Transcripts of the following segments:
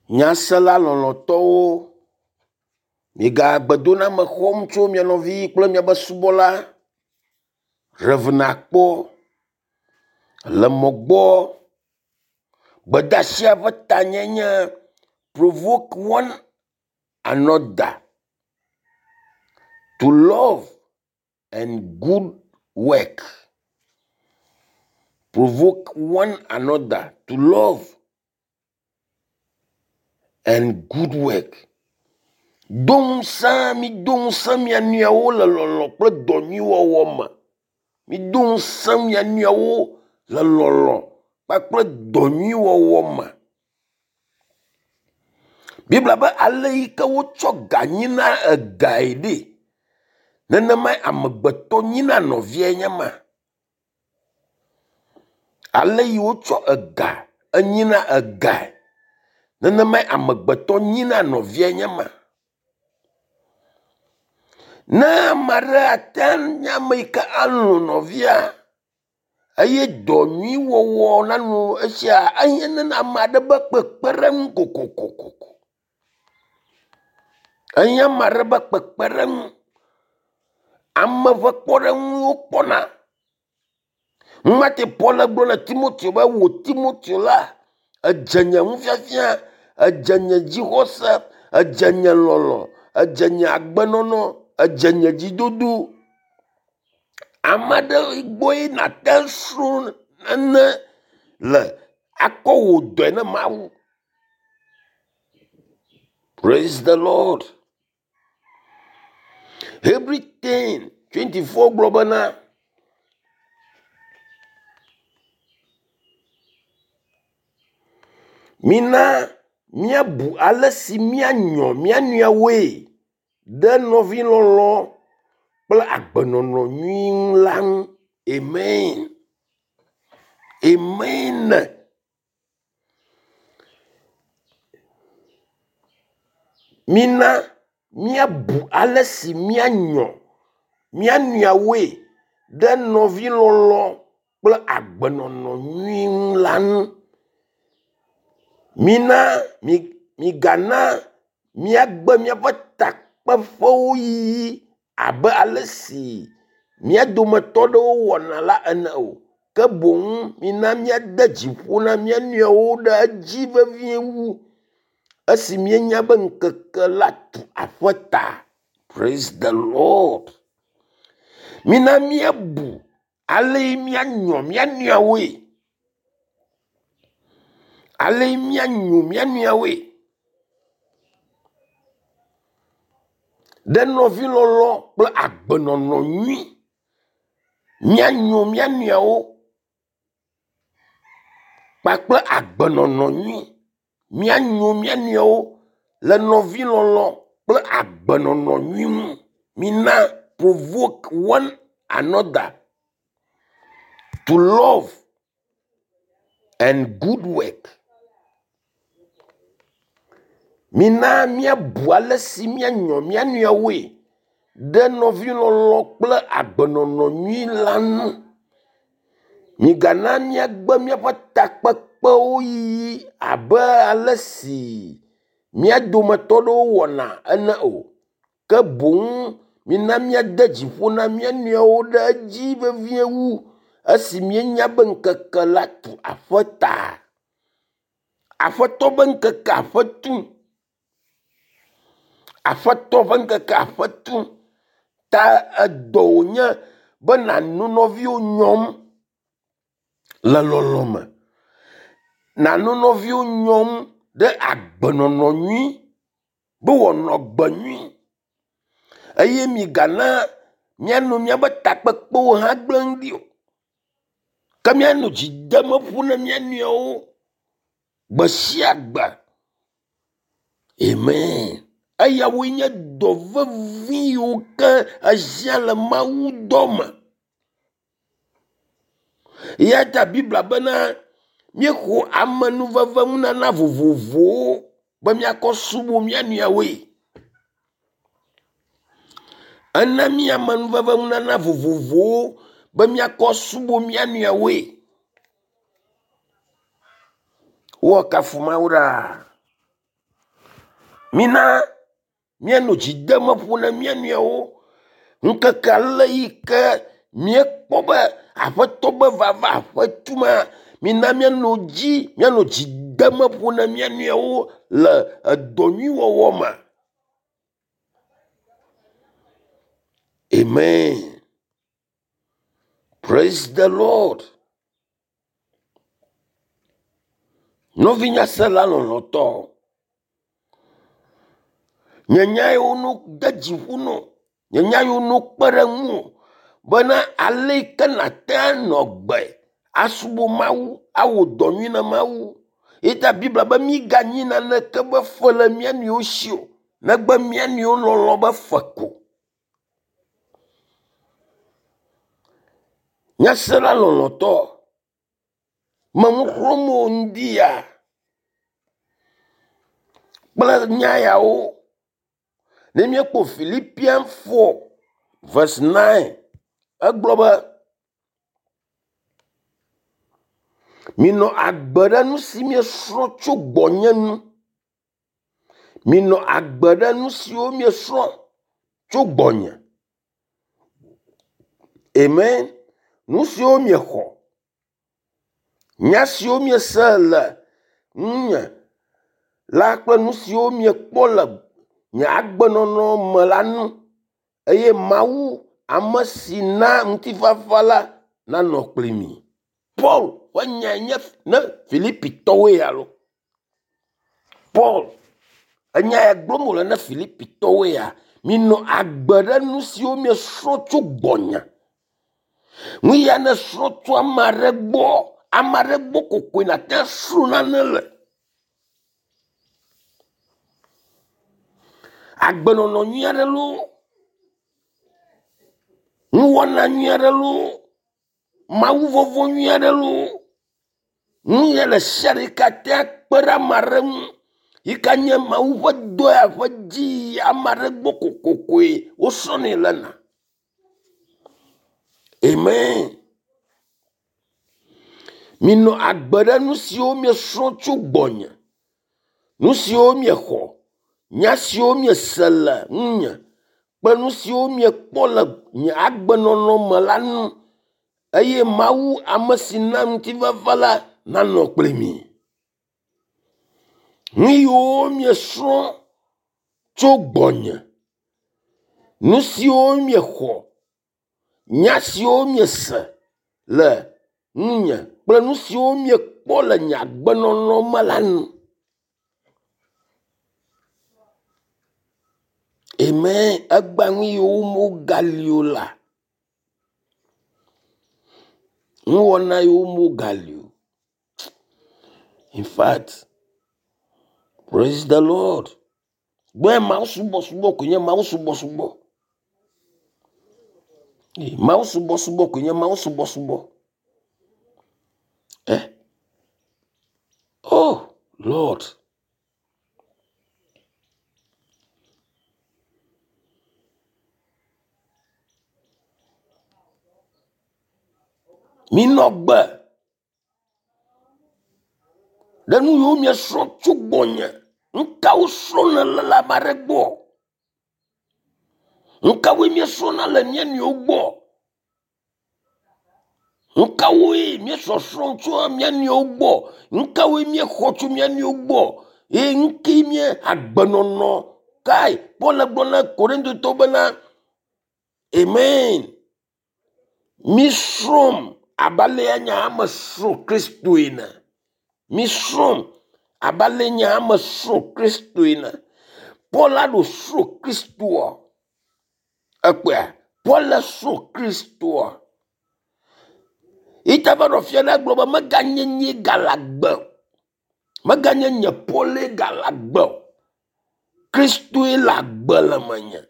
Nyasela lɔlɔ̃tɔwo, miega gbedoname xɔm tso mia nɔvi kple miaƒe subɔla Rev. Akpɔ le mɔ gbɔ. Gbedeasia ƒe tanye nye provoke one another to love and good work. Provoke one another to love and good work. Do ŋusẽ mido ŋusẽ mia nɔewo le lɔlɔ̃ kple dɔ nyui wɔwɔ me. Mido ŋusẽ mia nɔewo le lɔlɔ̃ kpakple dɔ nyui wɔwɔ me. Biblia be ale yi ke wotsɔ ga nyina egae ɖe, nenemae amegbetɔ nyina nɔviae nye ma. Ale yi wotsɔ ega enyina egae, nenemae amegbetɔ nyina nɔviae nye ma. Ne ame aɖe ate nye ame yi ke alɔ̃ nɔvia eye dɔ nyui wɔwɔ nanɔ esia, ehiã ne ame aɖe ƒe kpekpeɖeŋu kokokoko. Ehiã ame aɖe ƒe kpekpeɖeŋu. Ame ƒe kpɔɖeŋu wokpɔna. Numate Paul gblɔ na Timoteo be wò Timoteo la, edze nye nufiafia, edze nye dzixɔse, edze nye lɔlɔ̃, edze nye agbenɔnɔ, edze nye dzidodo. Ame aɖe gbɔe nàte srɔ̃ nane le akɔ wò dɔe ne Mawu. Praise the Lord. Hebri 10 24 gblɔ bena mina míabu ale si míanyɔ mía nɔewoe ɖe nɔvilɔlɔ̃ kple agbenɔnɔ nyui ŋu la ŋu. Amen. Amen. Mina míabu ale si míanyɔ mía nɔewoe ɖe nɔvilɔlɔ̃ kple agbenɔnɔ nyui ŋu la ŋu. Mina mi migana míagbe míaƒe takpeƒewo yiyi abe ale si mía dometɔ aɖewo wɔna la ene o. Ke boŋ mina míade dzi ƒo na mía nɔewo ɖe edzi vevie wu esi míenya be ŋkeke la tu aƒe ta. Praise the Lord. Mina míabu ale míanyɔ mía nɔewoe. Ale míanyo mía nɔewoe. Ɖe nɔvilɔlɔ̃ kple agbenɔnɔ nyui. Míanyo mía nɔewo kpakple agbenɔnɔ nyui. Míanyo mía nɔewo le nɔvilɔlɔ̃ kple agbenɔnɔ nyui ŋu. Mina provoke one another to love and good work. Mina míabu ale si míanyɔ mía nɔewoe ɖe nɔvilɔlɔ̃ kple agbenɔnɔ nyui la ŋu. Migana míagbe míaƒe takpekpewo yiyi abe ale si mía dometɔ aɖewo wɔna ene o. Ke boŋ mina míade dzi ƒo na mía nɔewo ɖe edzi vevie wu esi míenya be ŋkeke la tu aƒe ta. Aƒetɔ ƒe ŋkeke aƒe tum. Aƒetɔ ƒe ŋkeke aƒe tum. Ta edɔ wònye be nànɔ nɔviwo nyɔm le lɔlɔ̃ me. Nànɔ nɔviwo nyɔm ɖe agbenɔnɔ nyui be wòanɔ agbe nyui eye migana míanɔ míaƒe takpekpewo hã gblẽm ɖi o. Ke míanɔ dzi dem ƒo na mía nɔewo gbe sia gbe. Amen. Eyawoe nye dɔ vevi yiwo ke ehiã le Mawu dɔ me. Eya ta Biblia bena míexɔ amenuveve nunana vovovowo be míakɔ subɔ mía nɔewoe. Ena mí amenuveve nunana vovovowo be míakɔ subɔ mía nɔewoe. Woakafu Mawu ɖaa. Mina míanɔ dzi dem ƒo na mía nɔewo. Ŋkeke ale yi ke míekpɔ be Aƒetɔ be vava aƒe tuma, mina míanɔ dzi, míanɔ dzi dem ƒo na mía nɔewo le edɔ nyui wɔwɔ me. Amen. Praise the Lord. Nɔvinyasela lɔlɔ̃tɔ, nye nya yiwo no de dzi ƒo nɔ, nye nya yiwo no kpe ɖe ŋuwò bena ale yi ke nàte anɔ agbe asubɔ Mawu, awɔ dɔ nyui na Mawu. Eya ta Biblia be míganyi naneke be fe le mía nɔewo si o, negbe mía nɔewo lɔlɔ̃ be fe ko. Nyasela lɔlɔ̃tɔ, me nu xlɔ̃m wò ŋdi ya kple nya yawo. Ne míekpɔ Philippians 4 verse 9, egblɔ be, Minɔ agbe ɖe nu si miesrɔ̃ tso gbɔnye nu. Minɔ agbe ɖe nu siwo miesrɔ̃ tso gbɔnye. Amen. Nu siwo miexɔ, nya siwo miese le ŋunye la kple nu siwo miekpɔ le nye agbenɔnɔ me la nu eye Mawu ame si na ŋutifafa la nanɔ kpli mi. Paul ƒe nyae nye ne Filipitɔwoe alo. Paul enya ya gblɔm wòle ne Filipitɔwoe ya, minɔ agbe ɖe nu siwo miesrɔ̃ tso gbɔnye. Nu ya nèsrɔ̃ tso ame aɖe gbɔ, ame aɖe gbɔ kokoe nàte asrɔ̃ nane le. Agbenɔnɔ nyui aɖe loo, nuwɔna nyui aɖe loo, mawuvɔvɔ̃ nyui aɖe loo, nu ya ɖe sia ɖe yi ke ate akpe ɖe ame aɖe ŋu yi ke nye Mawu ƒe dɔ ya ƒe dzi yi ame aɖe gbɔ kokokoe wosrɔ̃nɛ lena. Amen. Minɔ agbe ɖe nu siwo miesrɔ̃ tso gbɔnye, nu siwo miexɔ, nya siwo miese le ŋunye kple nu siwo miekpɔ le nye agbenɔnɔ me la nu eye Mawu ame si na ŋutifafa la nanɔ kpli mi. Nu yiwo miesrɔ̃ tso gbɔnye, nu siwo miexɔ, nya siwo miese le ŋunye kple nu siwo miekpɔ le nye agbenɔnɔ me la nu. Amen. Egbea nu yiwo wogali o la, nuwɔna yiwo wogali o. In fact, praise the Lord. Gbɔe Mawu subɔsubɔ koe nye Mawu subɔsubɔ. Mawu subɔsubɔ koe nye Mawu subɔsubɔ. Eh. Oh, Lord. Minɔ gbe ɖe nu yiwo miesrɔ̃ tso gbɔnye. Nu kawo srɔ̃m nèle le ame aɖe gbɔ? Nu kawoe míesrɔ̃na le mía nɔewo gbɔ? Nu kawoe míesɔsrɔ̃ tso mía nɔewo gbɔ? Nu kawoe míexɔ tso mía nɔewo gbɔ? Eye nu kae nye agbenɔnɔ kae Paul gblɔ na Korintotɔwo bena, Amen. Misrɔ̃m abe alea nye hã mesrɔ̃ Kristo ene. Misrɔ̃m abe ale nye hã mesrɔ̃ Kristo ene. Paul la ɖo srɔ̃ Kristoa. Ekpɔea? Paul le srɔ̃ Kristoa. Yi ta va ɖɔ fia ɖe gblɔ be meganye nye gale agbe o. Meganye nye Paul gale agbe o. Kristoe le agbe le menye.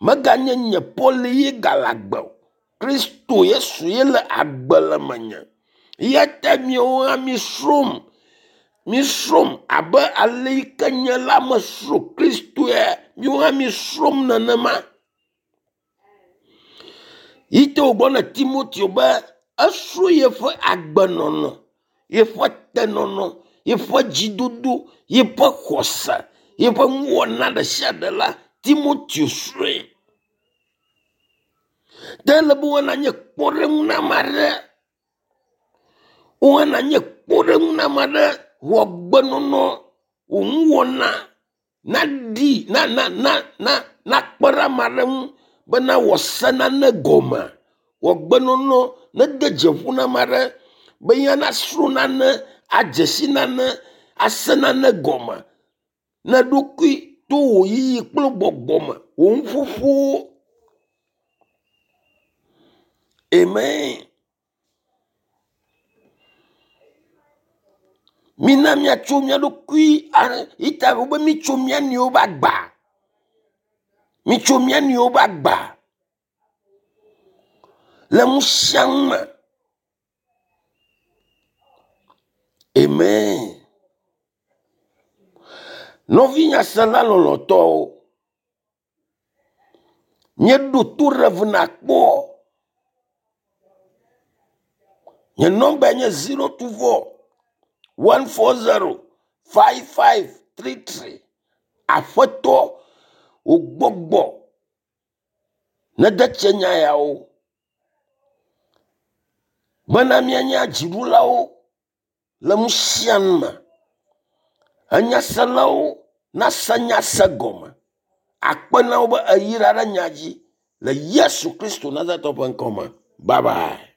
Meganye nye Paul ye gale agbe o. Kristo Yesu ye le agbe le menye. Eya ta miawo hã misrɔ̃m, misrɔ̃m abe ale yi ke nye la mesrɔ̃ Kristoe, miawo hã misrɔ̃m nenema. Yi te wògblɔ na Timoteo be esrɔ̃ yeƒe agbenɔnɔ, yeƒe tenɔnɔ, yeƒe dzidodo, yeƒe xɔse, Yeƒe nuwɔna ɖe sia ɖe la, Timoteo srɔ̃e. Ɖe ele be woana nye kpɔɖeŋu na ame aɖe. Woana nye kpɔɖeŋu na ame aɖe wò agbenɔnɔ, wò nuwɔna naɖi na na na na nakpe ɖe ame aɖe ŋu be nawɔ se nane gɔme. Wò agbenɔnɔ nede dzeƒo na ame aɖe be ya nasrɔ̃ nane, adze si nane, ase nane gɔme ne eɖokui to wò yiyi kple gbɔgbɔ me, wò nuƒoƒowo. Amen. Mina míatso mía ɖokui ita be mitso mía nɔewo ƒe agba. Mitso mía nɔewo ƒe agba le nu sia nu me. Amen. Nɔvi nyasela lɔlɔ̃tɔwo, míeɖo to Rev. Nakpɔ. Nye nɔmbae nye 024 140 5533. Aƒetɔ, wò gbɔgbɔ nede tse nya yawo bena míanye dziɖulawo le nu sia nu me. Enyaselawo nase nya se gɔme. Akpe na wo be èyra ɖe nya dzi le Yesu Kristo Nazaretɔ ƒe ŋkɔ me. Bye bye.